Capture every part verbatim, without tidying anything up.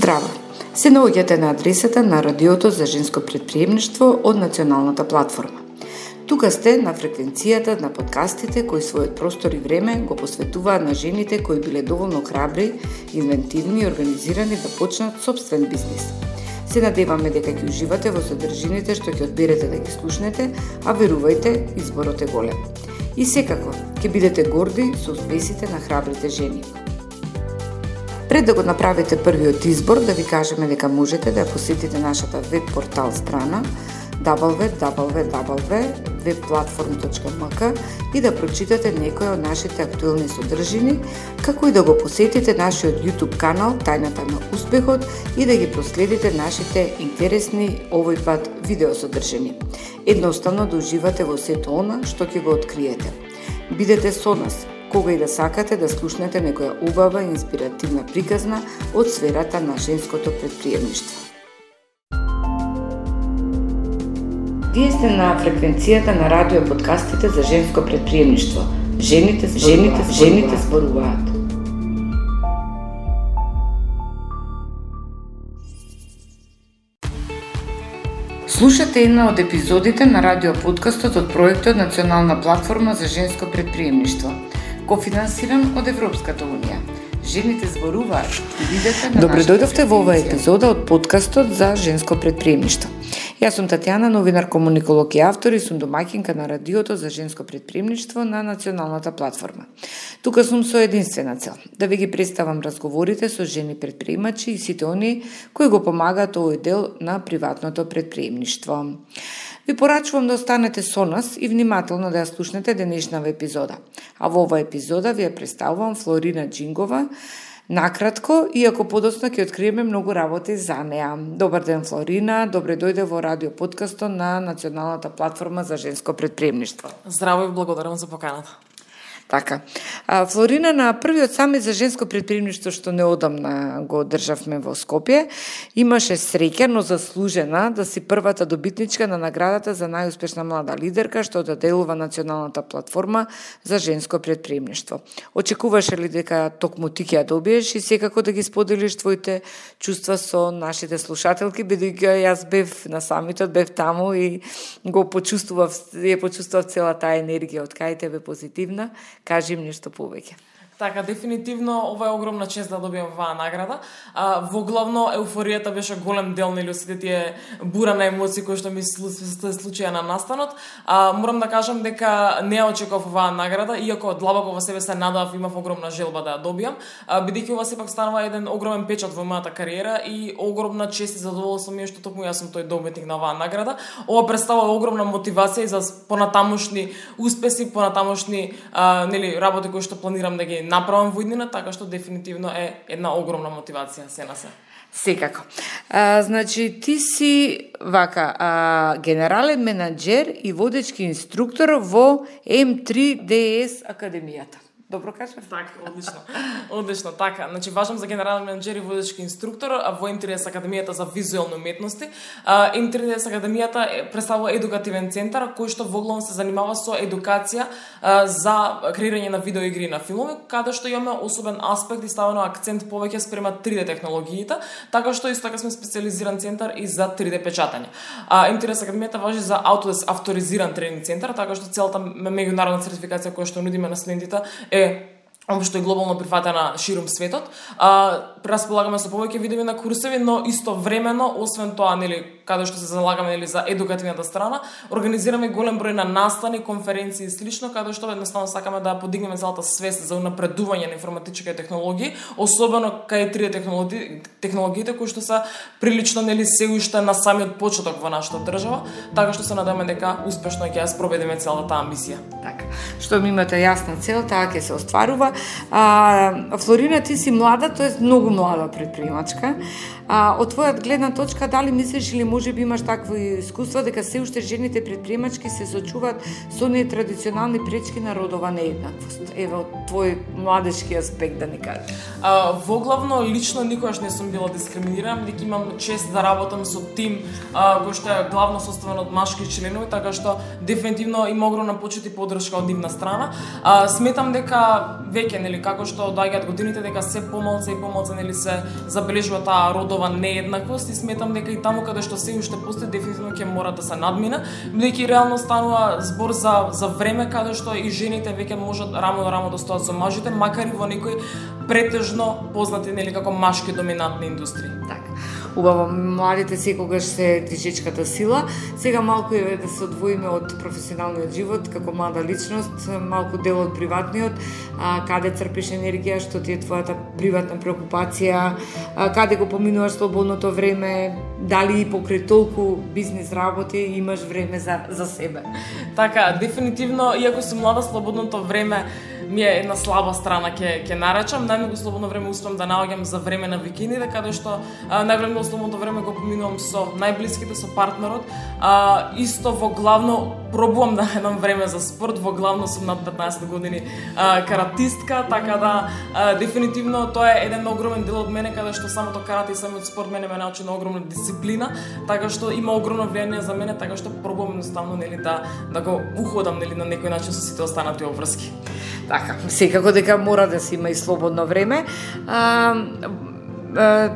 Здраво! Се наоѓате на адресата на Радиото за женско претприемништво од Националната платформа. Тука сте на фреквенцијата на подкастите кои својот простор и време го посветуваат на жените кои биле доволно храбри, инвентивни и организирани да почнат собствен бизнис. Се надеваме дека ќе уживате во содржините што ќе одберете да ги слушнете, а верувајте, изборот е голем. И секако, ќе бидете горди со успесите на храбрите жени. Пред да го направите првиот избор, да ви кажеме дека можете да посетите нашата веб портал страна дабл ю дабл ю дабл ю точка веб платформ точка ем ка и да прочитате некои од нашите актуелни содржини, како и да го посетите нашиот YouTube канал Тајната на успехот и да ги проследите нашите интересни овој пат видеосодржини. Едноставно да уживате во сето она што ќе го откриете. Бидете со нас кога и да сакате да слушнете некоја убава и инспиративна приказна од сферата на женското претприемништво. Вие сте на фреквенцијата на радио подкастите за женско претприемништво. Жените, жените, жените зборуваат. Слушате една од епизодите на радио подкастот од проектот Национална платформа за женско претприемништво, кофинансиран од Европската унија. Жените зборуваат и видете на Добре дојдовте во оваа епизода од подкастот за женско претприемништво. Јас сум Татјана, новинар, комуниколог и автор и сум домаќинка на Радиото за женско претприемништво на Националната платформа. Тука сум со единствена цел, да ви ги представам разговорите со жени претприемачи и сите они кои го помагаат овој дел на приватното претприемништво. Ви порачувам да останете со нас и внимателно да ја слушнете денешнава епизода. А во оваа епизода ви ја представувам Флорина Џингова, накратко, иако подоцна ќе откриеме многу работи за неа. Добар ден, Флорина, добре дојде во радио подкастот на Националната платформа за женско претприемништво. Здраво и благодарам за поканата. Така. А, Флорина, на првиот самит за женско претприемништво што неодамна го одржавме во Скопје, имаше среќа, но заслужена да си првата добитничка на наградата за најуспешна млада лидерка што доделува Националната платформа за женско претприемништво. Очекуваше ли дека токму ти ќе ја добиеш и секако да ги споделиш твоите чувства со нашите слушателки, бидејќи јас бев на самитот, бев таму и го почувствував, ја почувствував цела таа енергија од кај тебе позитивна. Кажи им нешто повеќе. Така, дефинитивно, ова е огромна чест да добијам оваа награда. А, во главно, еуфоријата беше голем дел, нели, сите тие бура на емоции кои што ми се случија на настанот. А, морам да кажам дека не ја очекував оваа награда, иако длабоко во себе се надав, имав огромна желба да ја добијам, бидејќи ова сепак станува еден огромен печат во мојата кариера и огромна чест и задоволство ми е што токму јас сум тој добитник на оваа награда. Ова представува огромна мотивација за понатамошни успеси, понатамошни а, нели, работи кои што планирам да ги направам во иднина, така што дефинитивно е една огромна мотивација се на се. Секако. А, значи, ти си вака, а, генерален менаџер и водечки инструктор во М три Д С Академијата. Добро кажав? Така, одлично. Одлично, така. Значи, важам за генерален менаџер и водечки инструктор во М три Д С Академијата за визуелни уметности. М три Д С Академијата представува едукативен центар кој што во главно се занимава со едукација за креирање на видеоигри на филмови, каде што имаме особен аспект и ставено акцент повеќе спрема три Д технологиите, така што исто така сме специализиран центар и за три Д печатање. М три Д С Академијата важи за Autodesk авторизиран тренинг центар, така што целата меѓународна сертификација која што нудиме на студентите е општо и глобално прифатена ширум светот. А, располагаме со повеќе видови на курсеви, но истовремено, освен тоа, нели, каде што се залагаме нели за едукативната страна, организираме голем број на настани, конференции и слично, каде што едноставно сакаме да подигнеме целата свест за унапредување на информатички технологии, особено кај три Д технологии, технологиите кои што се прилично нели се уште на самиот почеток во нашата држава, така што се надеваме дека успешно ќе ја спроведеме целата таа амбиција. Така. Што ми имате јасна цел, таа ќе се остварува. А, Флорина, ти си млада, тоест многу млада предприемачка. А, од твојата гледна точка, дали мислиш или може би имаш такви искуства дека се уште жените предприемачки се сочуваат со оние традиционални пречки на родова нееднаквост? Еве од твој младешки аспект да ни кажеш. А, во главно лично никогаш не сум била дискриминирана, дека имам чест да работам со тим а, кој што е главно составен од машки членови, така што дефинитивно има огромна почит и поддршка од нивна страна. А, сметам дека веќе нели како што доаѓаат годините дека се помалку и помалку нели се забележува таа родова нееднаквост и сметам дека и таму каде што се уште постои дефинитивно ќе мора да се надмина, бидејќи реално станува збор за за време каде што и жените веќе можат рамо на рамо да стоат со мажите, макар и во некои претежно познати нели како машки доминантни индустрии. Така. Убаво, младите секогаш се движечката сила. Сега малку е да се одвоиме од професионалниот живот како млада личност, малку дел од приватниот, а, каде црпиш енергија, што ти е твојата приватна преокупација, а, каде го поминуваш слободното време, дали и покрај толку бизнис работи имаш време за за себе. Така, дефинитивно, иако сум млада, слободното време ми е една слаба страна ќе ќе нарачам. Најмногу слободно време успеам да наоѓам за време на викендите, каде што најголемо слободно време го поминувам со најблиските, со партнерот. А, исто во главно пробувам да едам време за спорт, во главно сум над петнаесет години а, каратистка, така да а, дефинитивно тоа е еден огромен дел од мене каде што самото карате и самиот спорт мене ме научи на огромна дисциплина, така што има огромно влијание за мене, така што пробувам едноставно нели да да го уходам нели на некој начин со сите останати обврски. Така, секако дека мора да се има и слободно време. А,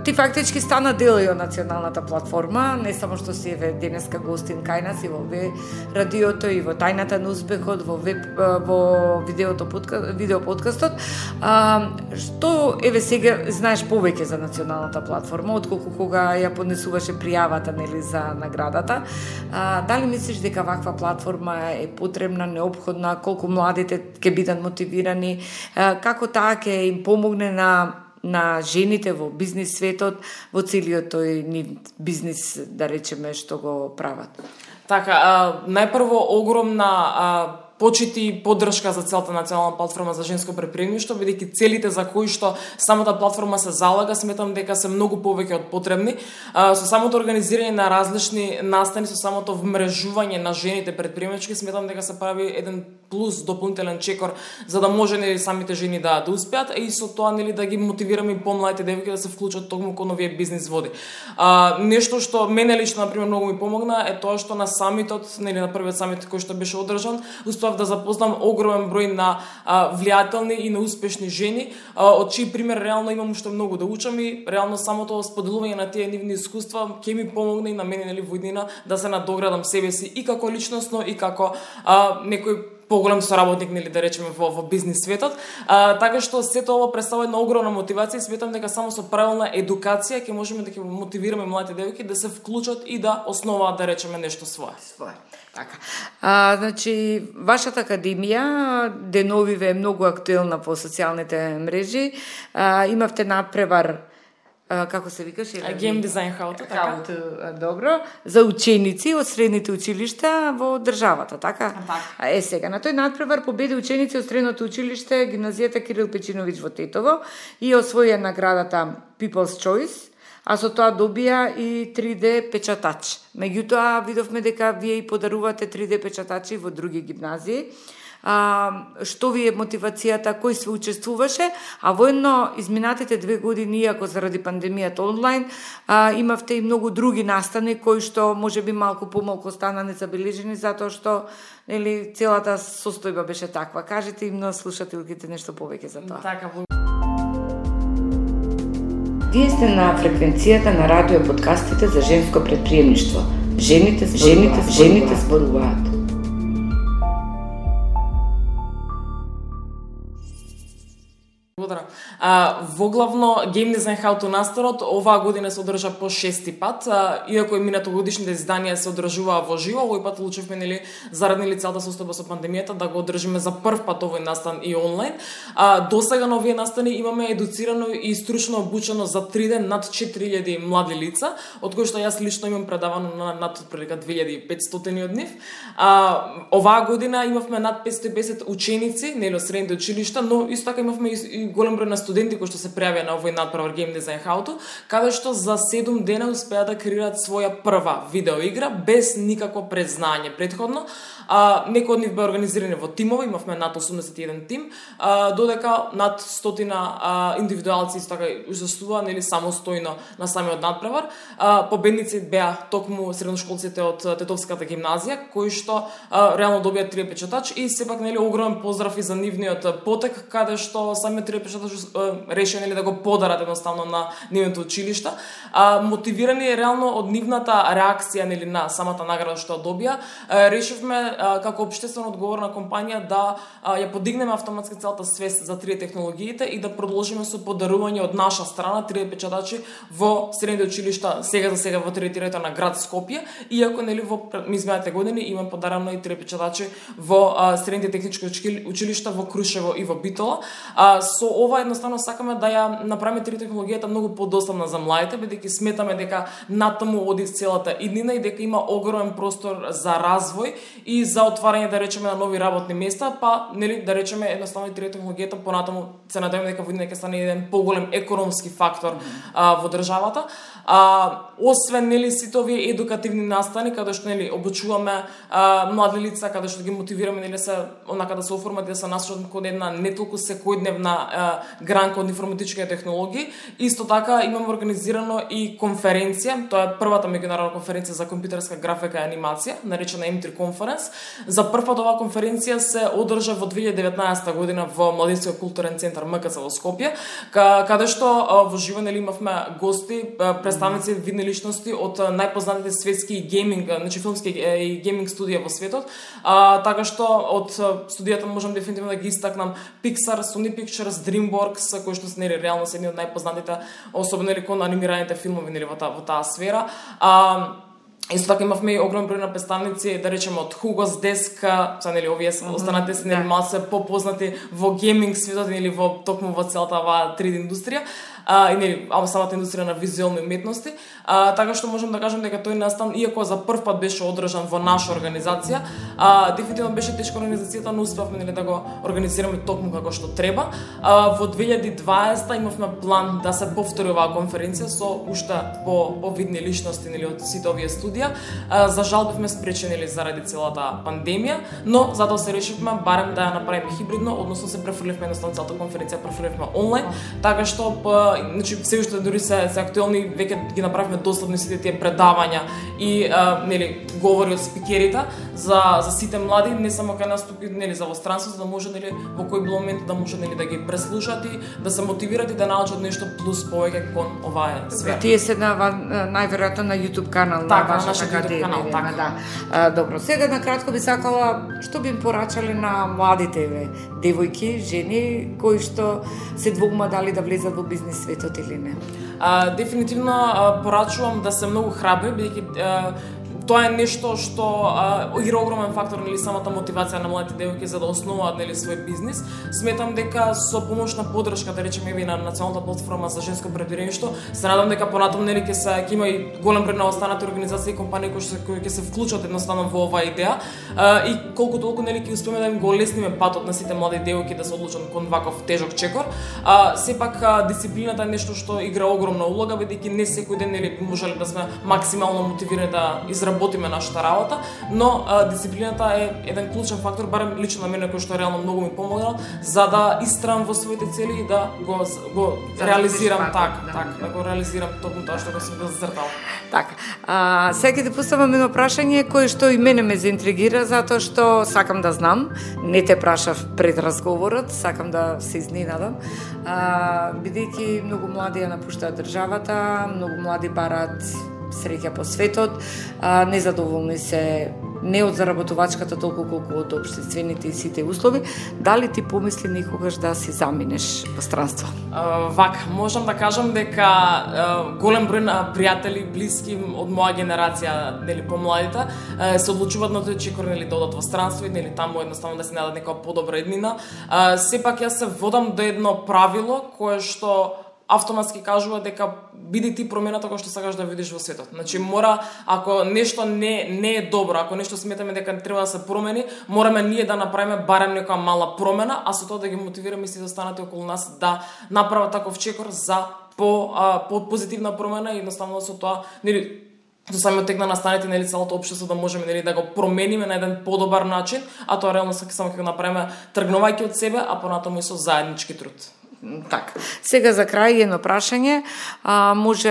ти фактички стана дел и од националната платформа, не само што си еве денеска гостин кај нас и во ве радиото и во тајната на успехот, во веб, во видеото подкаст, видео подкастот. А, што еве сега знаеш повеќе за националната платформа отколку кога ја поднесуваше пријавата нели за наградата? А, дали мислиш дека ваква платформа е потребна, неопходна, колку младите ќе бидат мотивирани, а, како таа ќе им помогне на на жените во бизнис светот, во целиот тој нив бизнис, да речеме, што го прават? Така, а, најпрво огромна а, почит и поддршка за целата национална платформа за женско предприемништво, бидејќи целите за кои што самата платформа се залага, сметам дека се многу повеќе од потребни. А, со самото организирање на различни настани, со самото вмрежување на жените предприемачки, сметам дека се прави еден плюс, дополнителен чекор, за да може нели самите жени да да успеат, и со тоа нели да ги мотивираме и помладите девојки да се вклучат токму кон овие бизнис води. А, нешто што мене лично на пример многу ми помогна е тоа што на самитот, нели на првиот самит кој што беше одржан, успеав да запознам огромен број на а, влијателни и на успешни жени, а, од чиј пример реално имам уште многу да учам, и реално самото споделување на тие нивни искуства ќе ми помогне и на мене нели во иднина да се надоградам себе си и како личносно и како а, некој поголем соработник, нели да речеме во, во бизнис светот. А, така што сето ова представува една огромна мотивација и сметам дека само со правилна едукација ќе можеме да ќе мотивираме младите девојки да се вклучат и да основаат, да речеме, нешто свое. Свое. Така. А, значи, вашата академија деновиве е многу актуелна по социјалните мрежи. А, имавте надпревар, а, како се викаше? Game Design How to, така? How to, добро, за ученици од средните училишта во државата, така? Така. Е, сега, на тој надпревар победи ученици од средното училиште, гимназијата Кирил Печиновиќ во Тетово и освоија наградата People's Choice, а со тоа добија и три де печатач. Меѓутоа, видовме дека вие и подарувате три де печатачи во други гимназии. А, што ви е мотивацијата, кој се учествуваше, а воедно изминатите две години, иако заради пандемијата онлайн, а, имавте и многу други настани кои што можеби малку помалку стана незабележени, затоа што нели целата состојба беше таква. Кажете им на слушателките нешто повеќе за тоа. Така, Вие сте на фреквенцијата на радио подкастите за женско предприемништво. Жените, жените, жените зборуваат. Благодарам. А, во главно Game Design How to настанот оваа година се одржа по шести пат, а, иако и минатогодишните изданија се одржуваа во живо, овој пат одлучивме нели заради нели целата состојба со пандемијата да го одржиме за прв пат овој настан и онлайн. А, досега на овие настани имаме едуцирано и стручно обучено за три ден над четири илјади млади лица, од кои што јас лично имам предавано на над отприлика две илјади и петстотини од нив. А, оваа година имавме над петстотини и песет ученици, нели од средните училишта, но исто така имавме и голем број на студенти студенти кои што се пријавија на овој надпревар Game Design How To, каде што за седум дена успеа да креираат своја прва видеоигра без никакво предзнање предходно. А, некои од нив беа организирани во тимови, имавме над осумдесет и еден тим, а, додека над стотина а, индивидуалци исто така учествуваа нели самостојно на самиот надпревар. А, победници беа токму средношколците од Тетовската гимназија, кои што а, реално добија три печатач и сепак нели огромен поздрав и за нивниот потек, каде што самиот три печатач реши нели да го подарат едноставно на нивното училиште. А, мотивирани реално од нивната реакција нели на самата награда што добија, а, решивме како општествено одговорна компанија да а, ја подигнеме автоматски целата свест за три технологиите и да продолжиме со подарување од наша страна три печатачи во средните училишта сега за сега во територијата на град Скопје, иако нели во изминатите години има подарено и три печатачи во а, средните технички училишта во Крушево и во Битола. А, со ова едноставно сакаме да ја направиме три технологијата многу подоставна за младите, бидејќи сметаме дека натаму оди целата иднина и дека има огромен простор за развој и за отварање, да речеме, на нови работни места, па нели да речеме едноставно и три технологијата понатаму се надеваме дека во иднина ќе стане еден поголем економски фактор а, во државата. А, освен нели сите овие едукативни настани каде што нели обучуваме а, млади лица, каде што ги мотивираме нели се онака да се оформат да се насочат кон една не толку секојдневна а, гранка од информатички технологии. Исто така имаме организирано и конференција, тоа е првата меѓународна конференција за компјутерска графика и анимација, наречена Ем три Conference. За прв пат оваа конференција се одржа во две илјади и деветнаесета година во Младинскиот културен центар М К Ц во Скопје, каде што во живо нели имавме гости, представници, видни личности од најпознатите светски гейминг, значи филмски и гейминг студија во светот. А, така што од студијата можам дефинитивно да ги истакнам Pixar, Sony Pictures, DreamWorks, кои што се нели реално се едни од најпознатите, особено нели кон анимираните филмови нели во таа во таа сфера. А, Исто така имавме и огромен број на представници, да речеме од Hugo's Desk, са нели овие останатите се нели малку попознати во гейминг светот или во токму во целата оваа три Д индустрија. А, и нели самата индустрија на визуелни уметности, а, така што можам да кажам дека тој настан, иако за прв пат беше одржан во наша организација, а, дефинитивно беше тешка организацијата, но успеавме нели да го организираме токму како што треба. А, во две илјади и дваесета имавме план да се повтори оваа конференција со уште по повидни личности нели од сите овие студија. А, за жал бевме спречени нели заради целата пандемија, но затоа се решивме барем да ја направиме хибридно, односно се префрлевме едноставно целата конференција префрлевме онлайн, така што значи се уште дури се, се актуелни, веќе ги направивме доследни сите тие предавања и а, нели говори од спикерите за за сите млади, не само кај наступи нели за во странството, да може нели во кој бил момент да може нели да ги преслушат и да се мотивират и да научат нешто плюс повеќе кон оваа сфера. Тие се на најверојатно на YouTube канал на така, вашата академија, канал, така. Да. А, добро, сега на кратко би сакала што би им порачале на младите ве, девојки, жени кои што се двоума дали да влезат во бизнис светот или не? А, дефинитивно а, порачувам да се многу храбри, бидејќи тоа е нешто што а, игра огромен фактор нели самата мотивација на младите девојки за да основаат нели свој бизнис. Сметам дека со помош на поддршка, да речеме и на националната платформа за женско предприемништво, се надам дека понатаму нели ќе се ќе има и голем број на останати организации и компании кои што кои ќе се вклучат едноставно во оваа идеја а, и колку толку нели ќе успееме да им го олесниме патот на сите млади девојки да се одлучат кон ваков тежок чекор. А, сепак а, дисциплината е нешто што игра огромна улога, бидејќи не секој ден нели би можеле да сме максимално мотивирани да изработиме нашата работа, но а, дисциплината е еден клучен фактор, барем лично на мене кој што реално многу ми помогнал за да истрам во своите цели и да го го да реализирам така, да, така, да. да го реализирам токму тоа што го сум го зацртал. Така. А сега ќе ти поставам едно прашање кое што и мене ме заинтригира затоа што сакам да знам, не те прашав пред разговорот, сакам да се изненадам. А бидејќи многу млади ја напуштаат државата, многу млади бараат среќа по светот, а, незадоволни се не од заработувачката толку колку од општествените и сите услови, дали ти помисли некогаш да си заминеш во странство? Uh, вака, можам да кажам дека uh, голем број на пријатели, блиски од моја генерација, нели помладите, uh, се одлучуваат на тој чекор нели да одат во странство и нели таму едноставно да се најдат некоја подобра иднина. Uh, сепак јас се водам до едно правило кое што автоматски кажува дека биди ти промената која што сакаш да видиш во светот. Значи мора, ако нешто не не е добро, ако нешто сметаме дека треба да се промени, мораме ние да направиме барем некоја мала промена, а со тоа да ги мотивираме сите останати околу нас да направат таков чекор за по а, по позитивна промена и едноставно со тоа, нели, со самиот тек на настаните, нели, целото општество да можеме, нели, да го промениме на еден подобар начин, а тоа реално само ќе го направиме тргнувајќи од себе, а понатаму и со заеднички труд. Така. Сега за крај едно прашање, а, може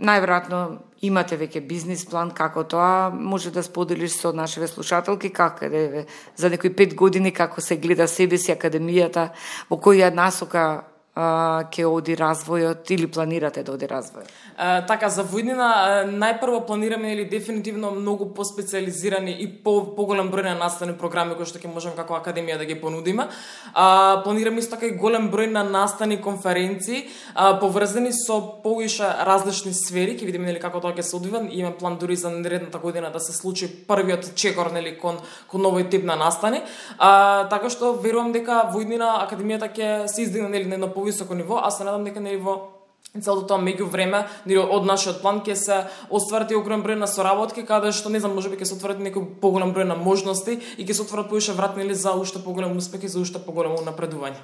најверојатно имате веќе бизнис план како тоа, може да споделиш со нашите слушателки како е за некои пет години како се гледа себе си академијата, во која насока ќе оди развојот или планирате да оди развојот? Uh, така, за воиднина, најпрво планираме или дефинитивно многу поспециализирани и по поголем број на наставни програми кои што ќе можеме како академија да ги понудиме. Uh, планираме исто така и голем број на наставни конференции, uh, поврзани со повише различни сфери, ќе видиме, нели, како тоа ќе се одвива. Имаме план дури за наредната година да се случи првиот чекор, нели, кон кон новој тип на настани. Uh, така што верувам дека воиднина академијата ќе се издигне, нели, на едно повисоко ниво, а се надам дека, нели, во целото тоа меѓувреме, нели, од нашиот план ќе се остварат и огромен број на соработки, каде што, не знам, можеби ќе се отворат некој поголем број на можности и ќе се отворат повише врати, нели, за уште поголем успех и за уште поголемо напредување.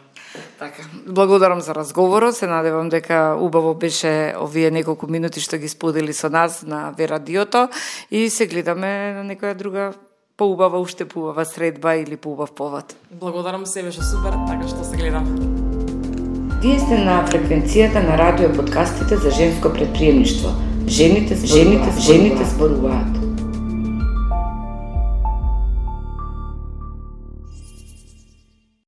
Така, благодарам за разговорот, се надевам дека убаво беше овие неколку минути што ги сподели со нас на Ве Радиото и се гледаме на некоја друга поубава, уште поубава средба или поубав повод. Благодарам, се беше супер, така што се гледам. Вие сте на фреквенцијата на радио подкастите за женско предприемништво. Жените, жените, жените зборуваат.